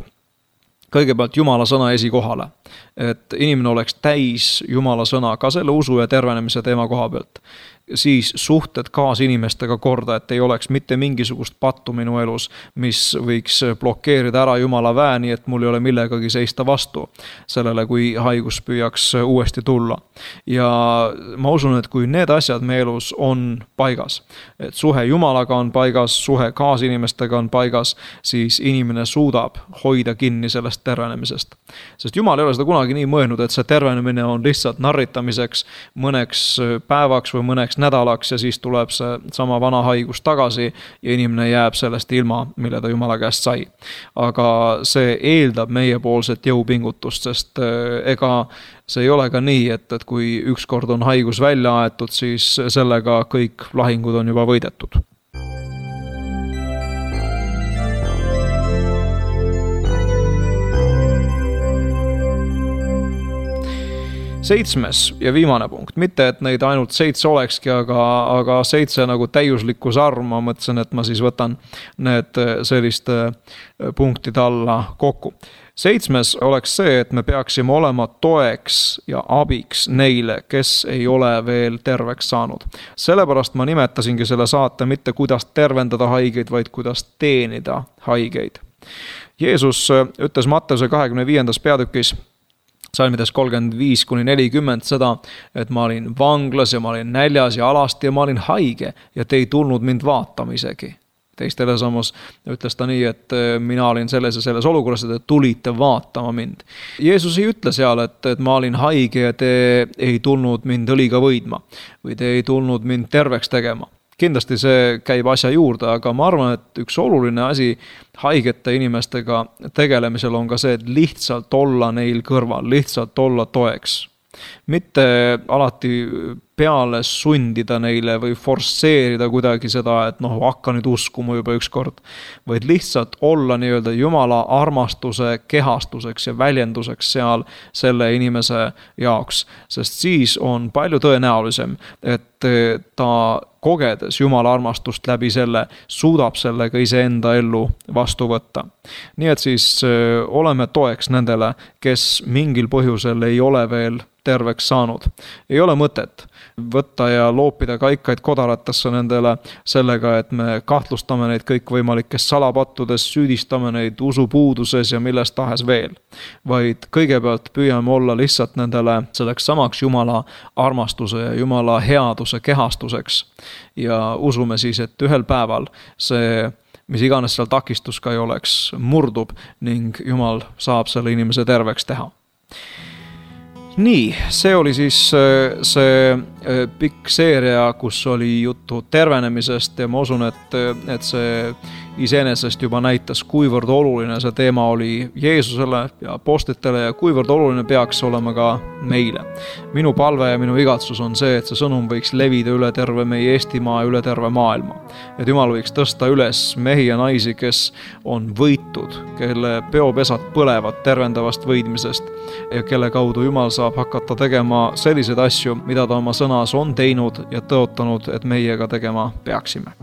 Kõigepealt Jumala sõna esikohale, et inimene oleks täis Jumala sõna ka selle usu ja tervenemise teema koha pealt. Siis suhted kaasinimestega korda, et ei oleks mitte mingisugust pattu minu elus, mis võiks blokeerida ära Jumala väe, nii et mul ei ole millegagi seista vastu sellele, kui haigus püüaks uuesti tulla. Ja ma usun, et kui need asjad meie elus on paigas, et suhe Jumalaga on paigas, suhe kaasinimestega on paigas, siis inimene suudab hoida kinni sellest tervenemisest. Sest Jumal ei ole seda kunagi nii mõelnud, et see tervenemine on lihtsalt narritamiseks mõneks päevaks või mõneks nädalaks ja siis tuleb see sama vana haigus tagasi ja inimene jääb sellest ilma, mille ta Jumala käest sai. Aga see eeldab meiepoolset jõupingutust, sest ega see ei ole ka nii, et, et kui ükskord on haigus välja aetud, siis sellega kõik lahingud on juba võidetud. Seitsmes ja viimane punkt, mitte et neid ainult seitse olekski, aga, aga seitse nagu täiuslikkus arv, ma mõtlesin, et ma siis võtan need selliste punktide alla kokku. Seitsmes oleks see, et me peaksime olema toeks ja abiks neile, kes ei ole veel terveks saanud. Sellepärast ma nimetasingi selle saate mitte kuidas tervendada haigeid, vaid kuidas teenida haigeid. Jeesus ütles Matteuse kahekümne viiendas peatükis, salmides kolmkümmend viis kuni nelikümmend seda, et ma olin vanglas ja ma olin näljas ja alasti ja ma olin haige ja te ei tulnud mind vaatama isegi. Teistele samas ütles ta nii, et mina olin selles ja selles olukorras, et te tulite vaatama mind. Jeesus ei ütle seal, et, et ma olin haige ja te ei tulnud mind õliga võidma või te ei tulnud mind terveks tegema. Kindlasti see käib asja juurde, aga ma arvan, et üks oluline asi haigete inimestega tegelemisel on ka see, et lihtsalt olla neil kõrval, lihtsalt olla toeks. Mitte alati peale sundida neile või forsseerida kuidagi seda, et noh, hakka nüüd uskuma juba ükskord, vaid lihtsalt olla nii-öelda Jumala armastuse kehastuseks ja väljenduseks seal selle inimese jaoks, sest siis on palju tõenäolisem, et ta kogedes Jumala armastust läbi selle, suudab sellega iseenda ellu vastu võtta. Nii et siis oleme toeks nendele, kes mingil põhjusel ei ole veel terveks saanud. Ei ole mõtet võtta ja loopida kaikaid kodaratesse nendele sellega, et me kahtlustame neid kõikvõimalikes salapattudes, süüdistame neid usupuuduses ja milles tahes veel. Vaid kõigepealt püüame olla lihtsalt nendele selleks samaks Jumala armastuse ja Jumala headuse kehastuseks. Ja usume siis, et ühel päeval see, mis iganes seal takistus ka ei oleks, murdub ning Jumal saab selle inimese terveks teha. Nii, see oli siis see pikk seeria, kus oli juttu tervenemisest ja ma usun, et, et see iseenesest juba näitas, kuivõrd oluline see teema oli Jeesusele ja apostlitele ja kuivõrd oluline peaks olema ka meile. Minu palve ja minu igatsus on see, et see sõnum võiks levida üle terve meie Eestimaa ja üle terve maailma. Et Jumal võiks tõsta üles mehi ja naisi, kes on võitud, kelle peopesad põlevad tervendavast võidmisest ja kelle kaudu Jumal saab hakata tegema selliseid asju, mida ta oma sõnas on teinud ja tõotanud, et meie ka tegema peaksime.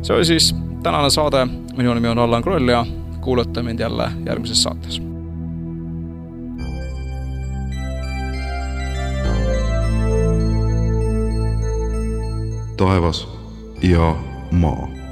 See oli siis tänane saade. Minu nimi on Allan Kroll ja kuulate mind jälle järgmises saates. Taevas ja maa.